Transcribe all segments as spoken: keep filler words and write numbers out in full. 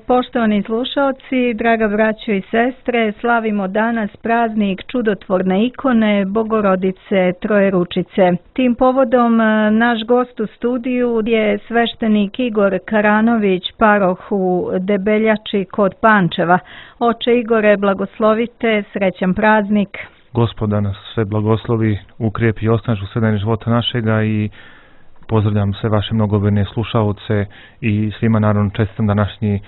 Poštovani slušalci, draga braćo i sestre, slavimo danas praznik čudotvorne ikone Bogorodice Trojeručice. Tim povodom naš gost u studiju je sveštenik Igor Karanović, paroh u Debeljači kod Pančeva. Oče Igore, blagoslovite, srećan praznik. Gospod da nas sve blagoslovi, ukrijepi i osnaži u sve dane života našega i pozdravljam sve vaše mnogobrojne slušaoce i svima naravno čestitam današnji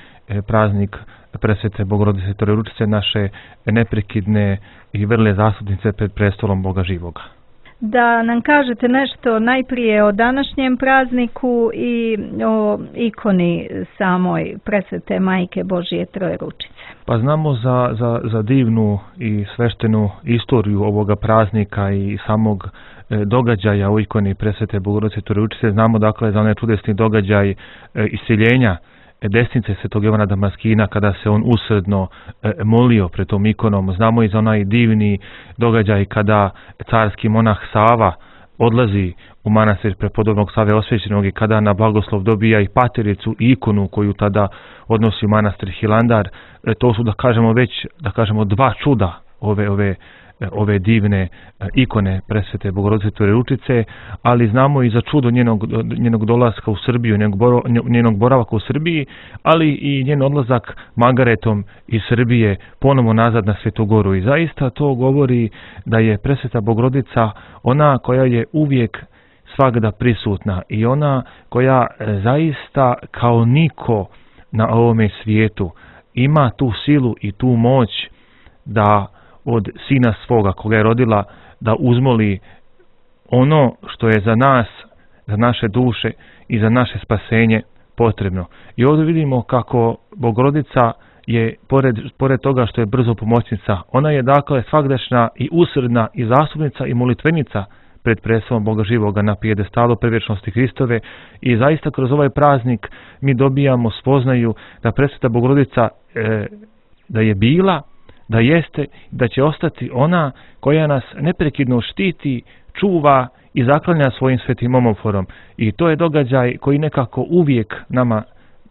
praznik presvete Bogorodice Trojeručice, naše neprekidne i vrle zastupnice pred prestolom Boga živoga. Da nam kažete nešto najprije o današnjem prazniku i o ikoni samoj presvete Majke Božije Trojeručice. Pa znamo za, za, za divnu i sveštenu istoriju ovoga praznika i samog događaja u ikoni presvete Bogorodice Trojeručice. Znamo dakle za onaj čudesni događaj iseljenja desnice svetog Jovana Damaskina kada se on usredno molio pred tom ikonom. Znamo i za onaj divni događaj kada carski monah Sava odlazi u manastir prepodobnog Save Osvećenog i kada na blagoslov dobija i patericu i ikonu koju tada odnosi u manastir Hilandar. To su da kažemo već da kažemo dva čuda ove ove ove divne ikone presvete Bogorodice Trojeručice, ali znamo i za čudo njenog, njenog dolaska u Srbiju, njenog, njenog boravaka u Srbiji, ali i njen odlazak Magaretom iz Srbije ponovo nazad na Svetu Goru. I zaista to govori da je presveta Bogorodica ona koja je uvijek svagda prisutna i ona koja zaista kao niko na ovome svijetu ima tu silu i tu moć da od sina svoga koga je rodila da uzmoli ono što je za nas, za naše duše i za naše spasenje potrebno. I ovdje vidimo kako Bogorodica je, pored, pored toga što je brzo pomoćnica, ona je dakle svagdašnja i usredna i zastupnica i molitvenica pred prestolom Boga živoga na pijedestalu prevječnosti Hristove i zaista kroz ovaj praznik mi dobijamo spoznaju da presveta Bogorodica e, da je bila, da jeste, da će ostati ona koja nas neprekidno štiti, čuva i zaklanja svojim svetim omoforom. I to je događaj koji nekako uvijek nama,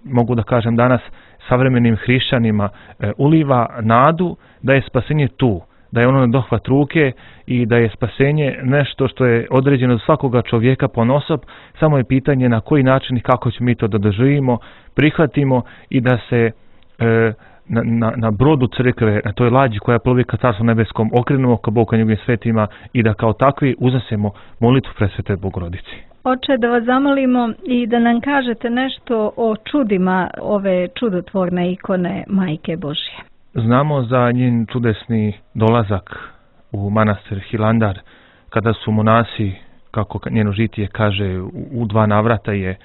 mogu da kažem danas, savremenim hrišćanima e, uliva nadu da je spasenje tu, da je ono na dohvat ruke i da je spasenje nešto što je određeno za svakoga čovjeka ponosob, samo je pitanje na koji način i kako ćemo mi to da doživimo, prihvatimo i da se e, Na, na, na brodu crkve, na toj lađi koja plovi ka Carstvu nebeskom, okrenemo ka Bogu, ka njegovim svetima i da kao takvi uznesemo molitvu presvete Bogorodici. Oče, da vas zamolimo i da nam kažete nešto o čudima ove čudotvorne ikone Majke Božje. Znamo za njen čudesni dolazak u manastir Hilandar, kada su monasi, kako njeno žitije kaže, u, u dva navrata je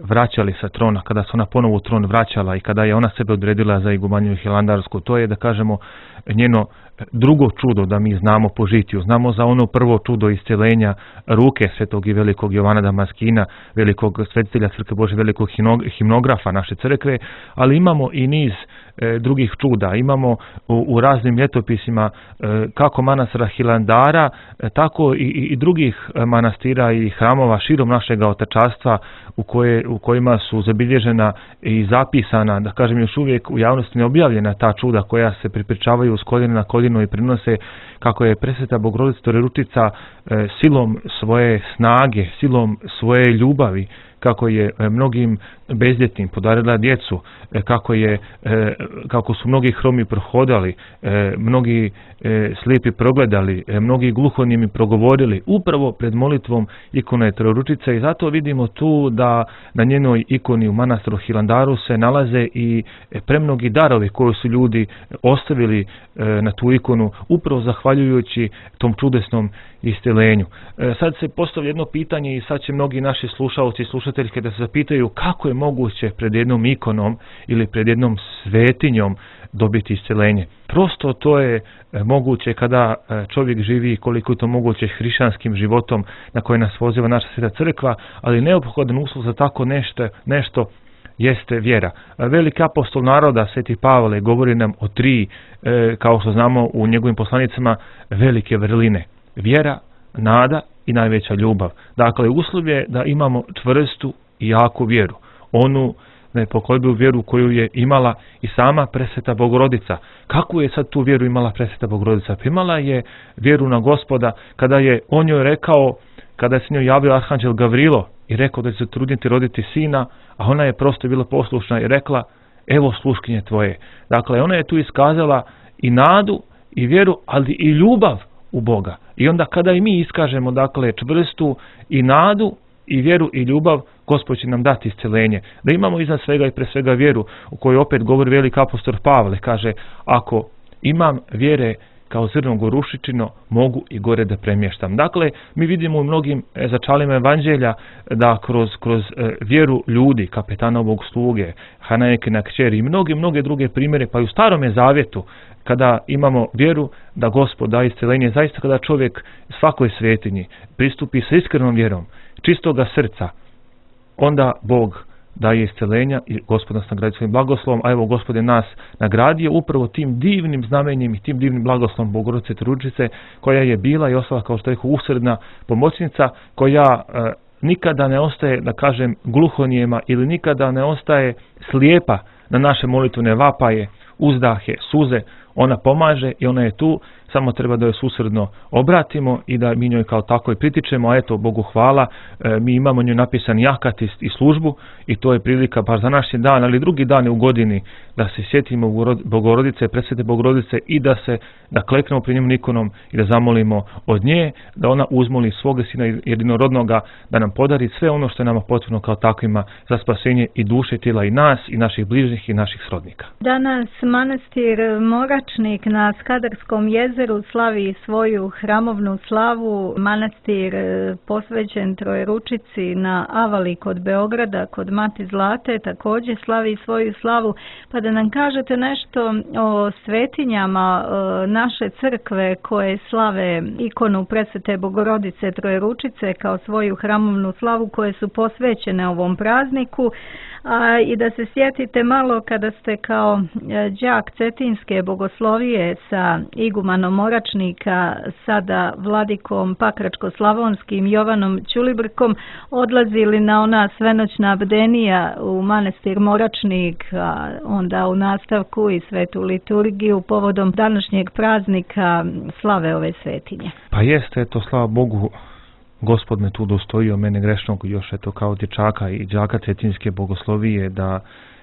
vraćali sa trona, kada se ona ponovo u tron vraćala i kada je ona sebe odredila za igumaniju hilandarsku. To je, da kažemo, njeno drugo čudo da mi znamo po žitiju. Znamo za ono prvo čudo isceljenja ruke svetog i velikog Jovana Damaskina, velikog svetitelja Crkve Božje, velikog himnografa naše crkve, ali imamo i niz e, drugih čuda. Imamo u, u raznim ljetopisima e, kako manastira Hilandara, e, tako i, i drugih manastira i hramova širom našega otečastva u, koje, u kojima su zabilježena i zapisana, da kažem još uvijek u javnosti neobjavljena ta čuda koja se pripričavaju s koljena na koljeno i prinose kako je presveta Bogorodica Trojeručica e, silom svoje snage, silom svoje ljubavi, kako je e, mnogim bezljetnim podarila djecu, e, kako je e, kako su mnogi hromi prohodali, e, mnogi e, slijepi progledali, e, mnogi gluhonijemi progovorili upravo pred molitvom ikone Trojeručice i zato vidimo tu da na njenoj ikoni u manastiru Hilandaru se nalaze i premnogi darovi koji su ljudi ostavili e, na tu ikonu upravo zahvaljujući tom čudesnom isceljenju. E, sad se postavlja jedno pitanje i sad će mnogi naši slušalci i slušateljke da se zapitaju kako je moguće pred jednom ikonom ili pred jednom svetinjom dobiti isceljenje. Prosto to je e, moguće kada e, čovjek živi koliko je to moguće hrišćanskim životom na koje nas poziva naša Sveta Crkva, ali neophodan uslov za tako nešto, nešto jeste vjera. Veliki apostol naroda, Sveti Pavle, govori nam o tri, e, kao što znamo u njegovim poslanicama, velike vrline. Vjera, nada i najveća ljubav. Dakle, uslov je da imamo čvrstu i jaku vjeru. Onu na nepokolebljivu vjeru koju je imala i sama presveta Bogorodica. Kakvu je sad tu vjeru imala presveta Bogorodica? Pa imala je vjeru na Gospoda kada je on joj rekao, kada se njoj javio arhanđel Gavrilo i rekao da će se truditi roditi sina, a ona je prosto bila poslušna i rekla, evo sluškinje tvoje. Dakle, ona je tu iskazala i nadu i vjeru, ali i ljubav u Boga. I onda kada i mi iskažemo, dakle, čvrstu i nadu i vjeru i ljubav, Gospod će nam dati isceljenje. Da imamo iznad svega i pre svega vjeru, u kojoj opet govori veliki apostol Pavle, kaže, ako imam vjere kao zrno gorušičino, mogu i gore da premještam. Dakle, mi vidimo u mnogim začalima evanđelja da kroz, kroz vjeru ljudi, kapetanovog sluge, Hanajekina kćeri i mnoge, mnoge druge primjere, pa i u Starome zavjetu, kada imamo vjeru da Gospod da isceljenje, zaista kada čovjek svakoj svetinji pristupi sa iskrenom vjerom, čistoga srca, onda Bog daje isceljenja i Gospod nas nagradi svojim blagoslovom, a evo Gospod je nas nagradio upravo tim divnim znamenjem i tim divnim blagoslovom Bogorodice Trojeručice, koja je bila i ostala, kao što rekao, usredna pomoćnica, koja e, nikada ne ostaje, da kažem, gluhonijema ili nikada ne ostaje slijepa na naše molitvene vapaje, uzdahe, suze. Ona pomaže i ona je tu, samo treba da joj susredno obratimo i da mi njoj kao tako i pritičemo, a eto, Bogu hvala, e, mi imamo njoj napisan jahat i, i službu i to je prilika baš za naš dan, ali drugi dan u godini da se sjetimo Bogorodice, presvete Bogorodice i da se, da kleknemo pred njom ikonom i da zamolimo od nje, da ona uzmoli svoga sina jedinorodnoga, da nam podari sve ono što je nama potrebno kao takvima za spasenje i duše, tijela i nas i naših bližnjih i naših srodnika. Danas manastir Moračnik na Skadarskom jezeru slavi svoju hramovnu slavu. Manastir posvećen Trojeručici na Avali kod Beograda, kod Mati Zlate, također slavi svoju slavu. Pa da nam kažete nešto o svetinjama naše crkve koje slave ikonu presvete Bogorodice Trojeručice kao svoju hramovnu slavu, koje su posvećene ovom prazniku. A, i da se sjetite malo kada ste kao đak Cetinske bogoslovije sa igumanom Moračnika, sada vladikom Pakračko-slavonskim Jovanom Ćulibrkom, odlazili na ona svenoćna bdenija u manastir Moračnik, a onda u nastavku i svetu liturgiju povodom današnjeg praznika slave ove svetinje. Pa jeste, eto, slava Bogu, Gospod me tu dostojio, mene grešnog, još eto kao dječaka i đaka Cetinske bogoslovije, da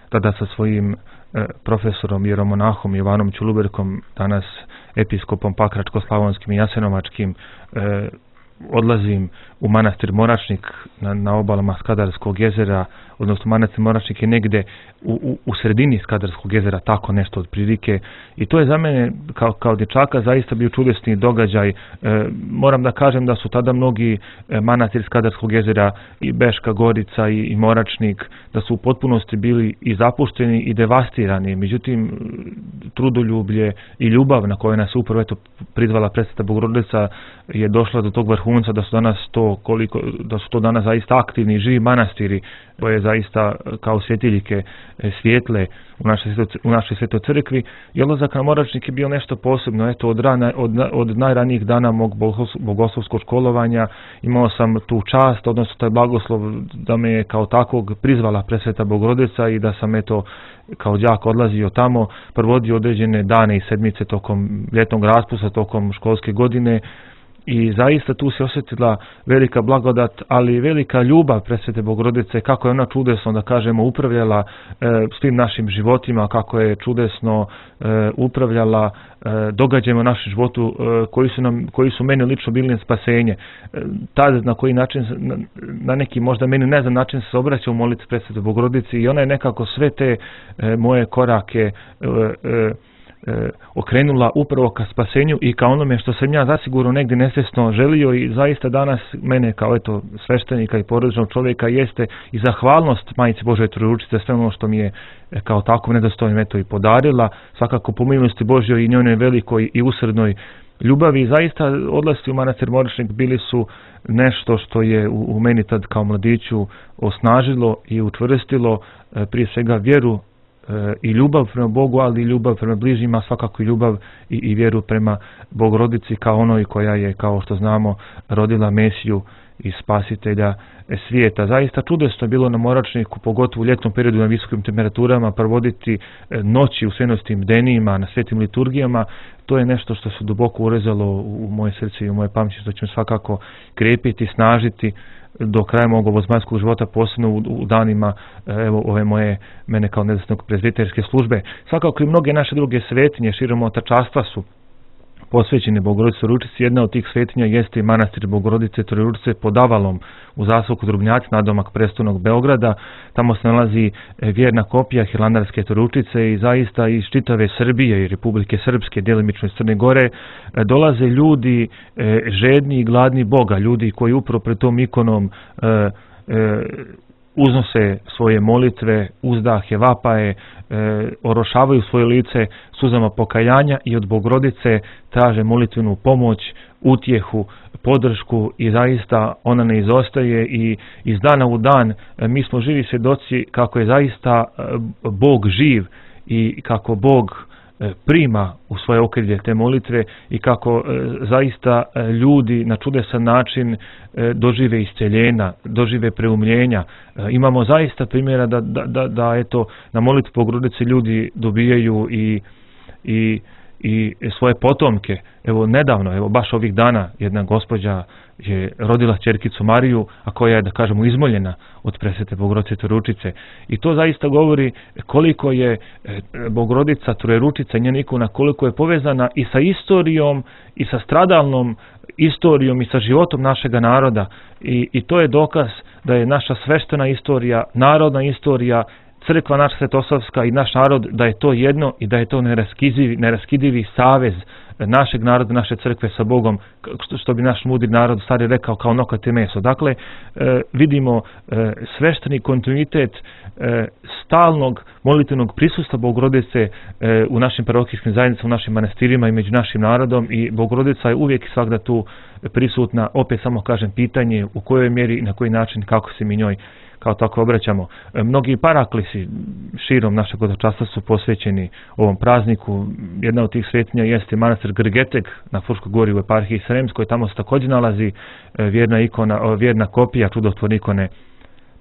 tada sa svojim e, profesorom jeromonahom Jovanom Ćulibrkom, danas episkopom Pakračko-slavonskim i Jasenovačkim, e, odlazim u manastir Moračnik na, na obalama Skadarskog jezera, odnosno manastir Moračnik je negde u, u, u sredini Skadarskog jezera, tako nešto otprilike, i to je za mene kao, kao dječaka zaista bio čudesni događaj. E, moram da kažem da su tada mnogi e, manastir Skadarskog jezera i Beška Gorica i, i Moračnik, da su u potpunosti bili i zapušteni i devastirani, međutim trudoljublje i ljubav na kojoj nas upravo eto prizvala presveta Bogorodica je došla do tog vrhunca da su danas to koliko da su to danas zaista aktivni živi manastiri koje zaista kao svjetiljke svijetle u našoj u našoj svetoj crkvi. I odlazak na Moračnik je bio nešto posebno. Eto od rana, od, od najranijih dana mog bogoslovskog školovanja imao sam tu čast, odnosno taj blagoslov da me je kao takvog prizvala presveta Bogorodica i da sam eto kao đak odlazio tamo, provodio određene dane i sedmice tokom ljetnog raspusta, tokom školske godine. I zaista tu se osjetila velika blagodat, ali velika ljubav presvete Bogorodice, kako je ona čudesno, da kažemo, upravljala e, s tim našim životima, kako je čudesno e, upravljala e, događajima u našem životu e, koji su nam, koji su meni lično bili spasenje. E, tad na koji način, na, na neki možda meni ne znam način se obraća u molitvi presvete Bogorodici i ona je nekako sve te e, moje korake e, e, E, okrenula upravo ka spasenju i ka onome što sam ja zasigurno negdje nesvjesno želio i zaista danas mene kao eto sveštenika i porodičnog čovjeka jeste i zahvalnost Majici Božoj Trojeručice sve ono što mi je kao tako nedostojno eto i podarila, svakako po milosti Božjoj i njenoj velikoj i usrednoj ljubavi. I zaista odlasci u manastir Moračnik bili su nešto što je u, u meni tad kao mladiću osnažilo i učvrstilo e, prije svega vjeru i ljubav prema Bogu, ali i ljubav prema bližnjima, svakako i ljubav i, i vjeru prema Bogorodici kao onoj koja je, kao što znamo, rodila Mesiju i spasitelja svijeta. Zaista čudesno je bilo na Moračniku, pogotovo u ljetnom periodu na visokim temperaturama, provoditi noći u svenostim bdenijima, na svetim liturgijama. To je nešto što se duboko urezalo u moje srce i u moje pamćenje, što će me svakako krepiti, snažiti do kraja mog ovozemaljskog života, posebno u, u danima evo ove moje, mene kao nezavisnog prezbiterske službe. Svakako i mnoge naše druge svetinje širom otačastva su posvećene Bogorodici Trojeručici. Jedna od tih svetinja jeste i manastir Bogorodice Trojeručice pod Avalom u zaseoku Drubnjaci, nadomak prestolnog Beograda. Tamo se nalazi vjerna kopija Hilandarske Trojeručice i zaista iz čitave Srbije i Republike Srpske, djelimično iz Crne Gore, dolaze ljudi žedni i gladni Boga, ljudi koji upravo pred tom ikonom uznose svoje molitve, uzdahe, vapaje, e, orošavaju svoje lice suzama pokajanja i od Bogorodice traže molitvenu pomoć, utjehu, podršku i zaista ona ne izostaje i iz dana u dan e, mi smo živi svjedoci kako je zaista e, Bog živ i kako Bog prima u svoje okrilje te molitve i kako e, zaista e, ljudi na čudesan način e, dožive isceljenja, dožive preumljenja. E, imamo zaista primjera da, da, da, da eto, na molitvu Bogorodice ljudi dobijaju i, i, i svoje potomke. Evo nedavno, evo baš ovih dana jedna gospođa je rodila ćerkicu Mariju, a koja je, da kažemo, izmoljena od presvete Bogorodice Trojeručice. I to zaista govori koliko je Bogorodica Trojeručica, njena ikona, koliko je povezana i sa istorijom, i sa stradalnom istorijom, i sa životom našega naroda. I, i to je dokaz da je naša sveštena istorija, narodna istorija, crkva naša svetosavska i naš narod, da je to jedno i da je to neraskidivi, neraskidivi savez našeg naroda, naše crkve sa Bogom, što, što bi naš mudri narod stari rekao, kao nokat i meso. Dakle, e, vidimo e, svešteni kontinuitet e, stalnog molitvenog prisustva Bogorodice e, u našim parohijskim zajednicama, u našim manastirima i među našim narodom, i Bogorodica je uvijek i svakda tu prisutna. Opet samo kažem, pitanje u kojoj mjeri i na koji način, kako se mi njoj kao tako obraćamo. Mnogi paraklisi širom našeg hodočastva su posvećeni ovom prazniku. Jedna od tih svetinja jeste manastir Grgeteg na Fruškoj gori u eparhiji Sremskoj. Tamo se također nalazi vjerna ikona, vjerna kopija čudotvorne ikone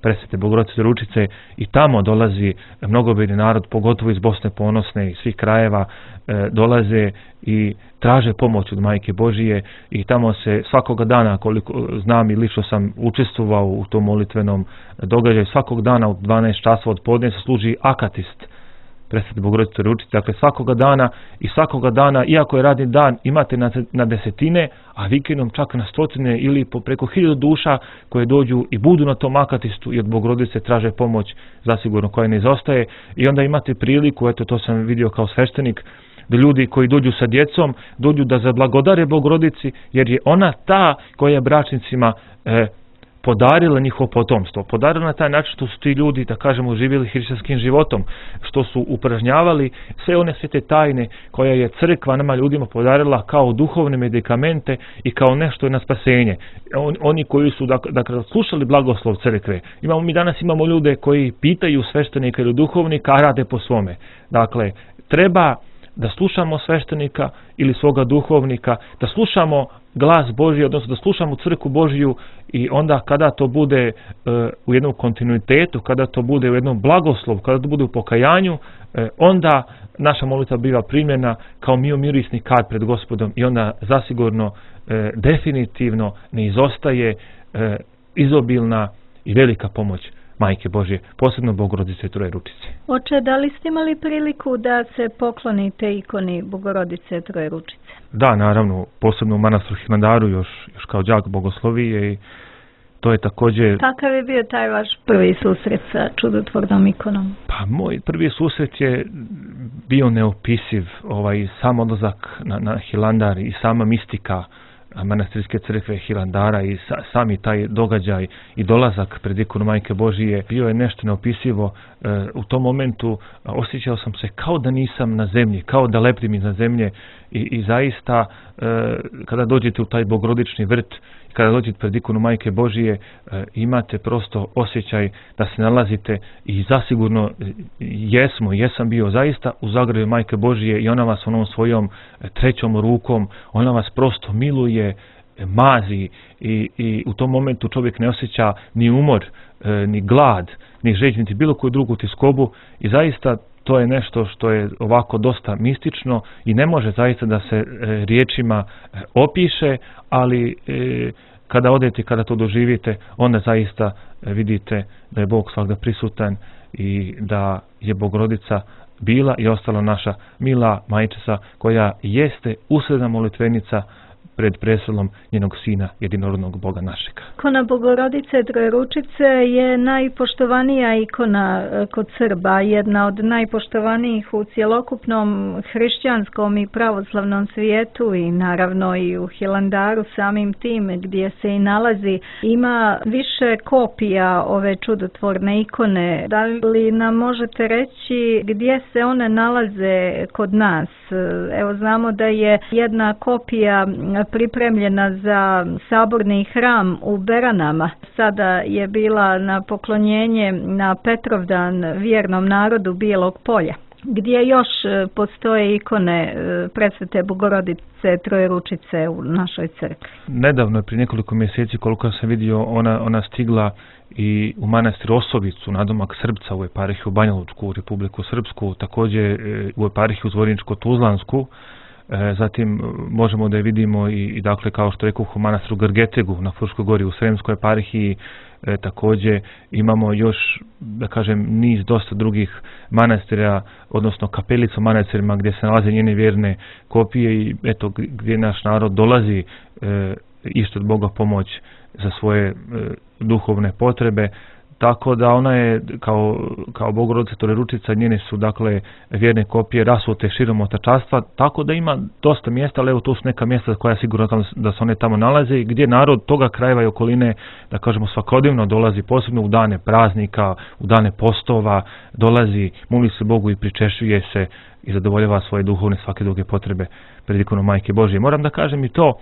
presvete Bogorodice Trojeručice i tamo dolazi mnogobrojni narod, pogotovo iz Bosne Ponosne i svih krajeva, e, dolaze i traže pomoć od Majke Božije i tamo se svakoga dana, koliko znam i lično sam učestvovao u tom molitvenom događaju, svakog dana u dvanaest časova od podne se služi akatist presvete Bogorodice Trojeručice. Dakle, svakoga dana i svakoga dana, iako je radni dan, imate na, na desetine, a vikendom čak na stotine ili po preko hiljadu duša koje dođu i budu na tom akatistu i od Bogorodice traže pomoć, zasigurno koja ne izostaje. I onda imate priliku, eto to sam vidio kao sveštenik, da ljudi koji dođu sa djecom, dođu da zablagodare Bogorodici, jer je ona ta koja je bračnicima e, podarila njihovo potomstvo. Podarila na taj način što su ti ljudi, da kažemo, živjeli hrišćanskim životom, što su upražnjavali sve one svete tajne koja je crkva nama ljudima podarila kao duhovne medikamente i kao nešto na spasenje. On, oni koji su dakle, dakle slušali blagoslov crkve. Imamo, mi danas imamo ljude koji pitaju sveštenika ili duhovnika, a rade po svome. Dakle, treba da slušamo sveštenika ili svoga duhovnika, da slušamo glas Božji, odnosno da slušamo crkvu Božju, i onda kada to bude e, u jednom kontinuitetu, kada to bude u jednom blagoslovu, kada to bude u pokajanju, e, onda naša molitva biva primljena kao miomirisni kad pred Gospodom i onda zasigurno e, definitivno ne izostaje e, izobilna i velika pomoć Majke Božje, posebno Bogorodice Trojeručice. Oče, da li ste imali priliku da se poklonite ikoni Bogorodice Trojeručice? Da, naravno, posebno u manastiru Hilandaru, još, još kao đak bogoslovije, i to je također... Kakav je bio taj vaš prvi susret sa čudotvornom ikonom? Pa moj prvi susret je bio neopisiv, ovaj, sam odlazak na, na Hilandar i sama mistika manastirske crkve Hilandara i sa, sami taj događaj i dolazak pred ikonu Majke Božije bio je nešto neopisivo. E, u tom momentu osjećao sam se kao da nisam na zemlji, kao da leptim iznad zemlje i, i zaista e, kada dođete u taj bogorodični vrt, kada dođete pred ikonu Majke Božije, e, imate prosto osjećaj da se nalazite i zasigurno jesmo, jesam bio zaista u zagrljaju Majke Božije i ona vas onom svojom trećom rukom, ona vas prosto miluje, mazi i, i u tom momentu čovjek ne osjeća ni umor, ni glad, ni žeđ, niti bilo koju drugu tiskobu i zaista to je nešto što je ovako dosta mistično i ne može zaista da se riječima opiše, ali kada odete, kada to doživite, onda zaista vidite da je Bog svagda prisutan i da je Bogorodica bila i ostala naša mila majčica koja jeste usredna molitvenica pred preselom njenog sina, jedinorodnog Boga našeg. Ikona Bogorodice Trojeručice je najpoštovanija ikona kod Srba, jedna od najpoštovanijih u cjelokupnom hrišćanskom i pravoslavnom svijetu i naravno i u Hilandaru samim tim gdje se i nalazi. Ima više kopija ove čudotvorne ikone. Da li nam možete reći gdje se one nalaze kod nas? Evo, znamo da je jedna kopija pripremljena za saborni hram u Beranama. Sada je bila na poklonjenje na Petrovdan vjernom narodu Bijelog Polja. Gdje još postoje ikone Presvete Bogorodice Trojeručice u našoj crkvi? Nedavno je, prije nekoliko mjeseci, koliko sam vidio, ona, ona stigla i u manastir Osovicu, nadomak Srbca, u eparhiju u Banja Lučku, u Republiku Srpsku, također u eparhiju Zvorničko-Tuzlansku. Zatim možemo da je vidimo i, i dakle, kao što rekao, u manastiru Grgetegu na Fruškoj gori u Sremskoj eparhiji. E, također imamo još, da kažem, niz dosta drugih manastira, odnosno kapelica u manastirima gdje se nalaze njene vjerne kopije i eto gdje naš narod dolazi e, išto od Boga pomoć za svoje e, duhovne potrebe. Tako da ona je kao, kao Bogorodica Trojeručica, njene su dakle vjerne kopije rasute širom otačanstva, tako da ima dosta mjesta, ali evo to su neka mjesta koja je sigurno da se one tamo nalaze, gdje narod toga krajeva i okoline, da kažemo, svakodnevno dolazi, posebno u dane praznika, u dane postova, dolazi, moli se Bogu i pričešljuje se i zadovoljava svoje duhovne svake druge potrebe pred ikonom Majke Božje. Moram da kažem i to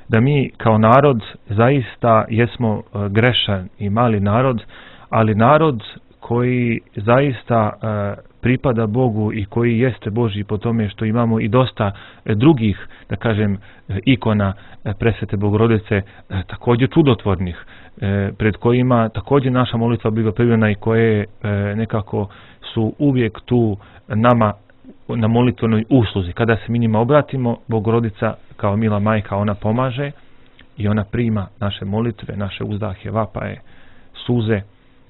da mi kao narod zaista jesmo grešan i mali narod, ali narod koji zaista e, pripada Bogu i koji jeste Božji po tome što imamo i dosta e, drugih, da kažem, ikona e, Presvete Bogorodice, e, također čudotvornih, e, pred kojima također naša molitva biva primljena i koje e, nekako su uvijek tu nama na molitvenoj usluzi. Kada se mi njima obratimo, Bogorodica kao mila majka, ona pomaže i ona prima naše molitve, naše uzdahe, vapaje, suze.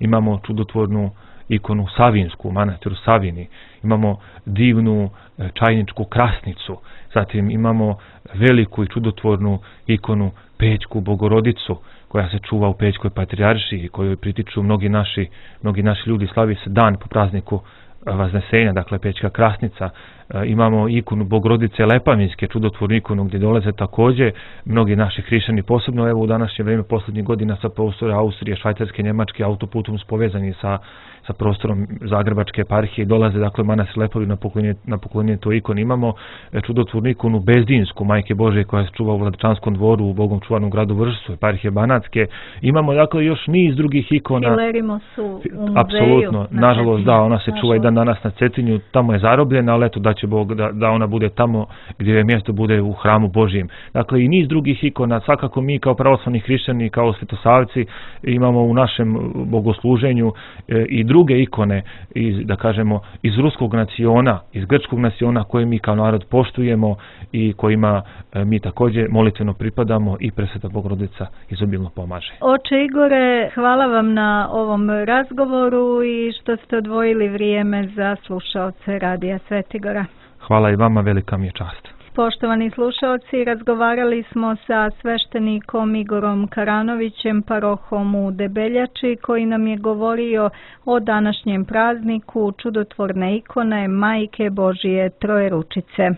Imamo čudotvornu ikonu Savinsku u manastiru Savini, imamo divnu čajničku krasnicu, zatim imamo veliku i čudotvornu ikonu Pećku Bogorodicu koja se čuva u Pećkoj patrijaršiji, kojoj pritiču mnogi naši, mnogi naši ljudi. Slavi se dan po prazniku Vaznesenja, dakle Pećka krasnica. E, imamo ikonu Bogorodice Lepavinske, čudotvornu ikonu gdje dolaze također mnogi naši hrišćani, posebno evo u današnje vrijeme posljednjih godina sa prostora Austrije, Švajcarske, Njemačke, autoputom su povezani sa, sa prostorom Zagrebačke eparhije, dolaze dakle manastir Lepovi na poklonjenje, na poklonjenje toj ikoni. Imamo e, čudotvornu ikonu Bezdinsku Majke Božje koja se čuva u Vladičanskom dvoru u Bogom čuvanom gradu Vršcu, eparhije Banatske. Imamo dakle još niz drugih ikona. Hilerimo su u muzeju. Apsolutno, na nažalost da, ona se čuva i dan danas na Cetinju, tamo je zarobljena, ali eto da će Bog da, da ona bude tamo gdje je mjesto bude u hramu Božjem. Dakle i niz drugih ikona, svakako mi kao pravoslavni hrišćani, kao svetosavci imamo u našem bogosluženju e, i druge ikone iz, da kažemo, iz ruskog naciona, iz grčkog naciona koje mi kao narod poštujemo i kojima e, mi također molitveno pripadamo i Presveta Bogorodica izobilno pomaže. Oče Igore, hvala vam na ovom razgovoru i što ste odvojili vrijeme za slušaoce Radija Svetigora. Hvala i vama, velika mi je čast. Poštovani slušaoci, razgovarali smo sa sveštenikom Igorom Karanovićem, parohom u Debeljači, koji nam je govorio o današnjem prazniku čudotvorne ikone Majke Božje Trojeručice.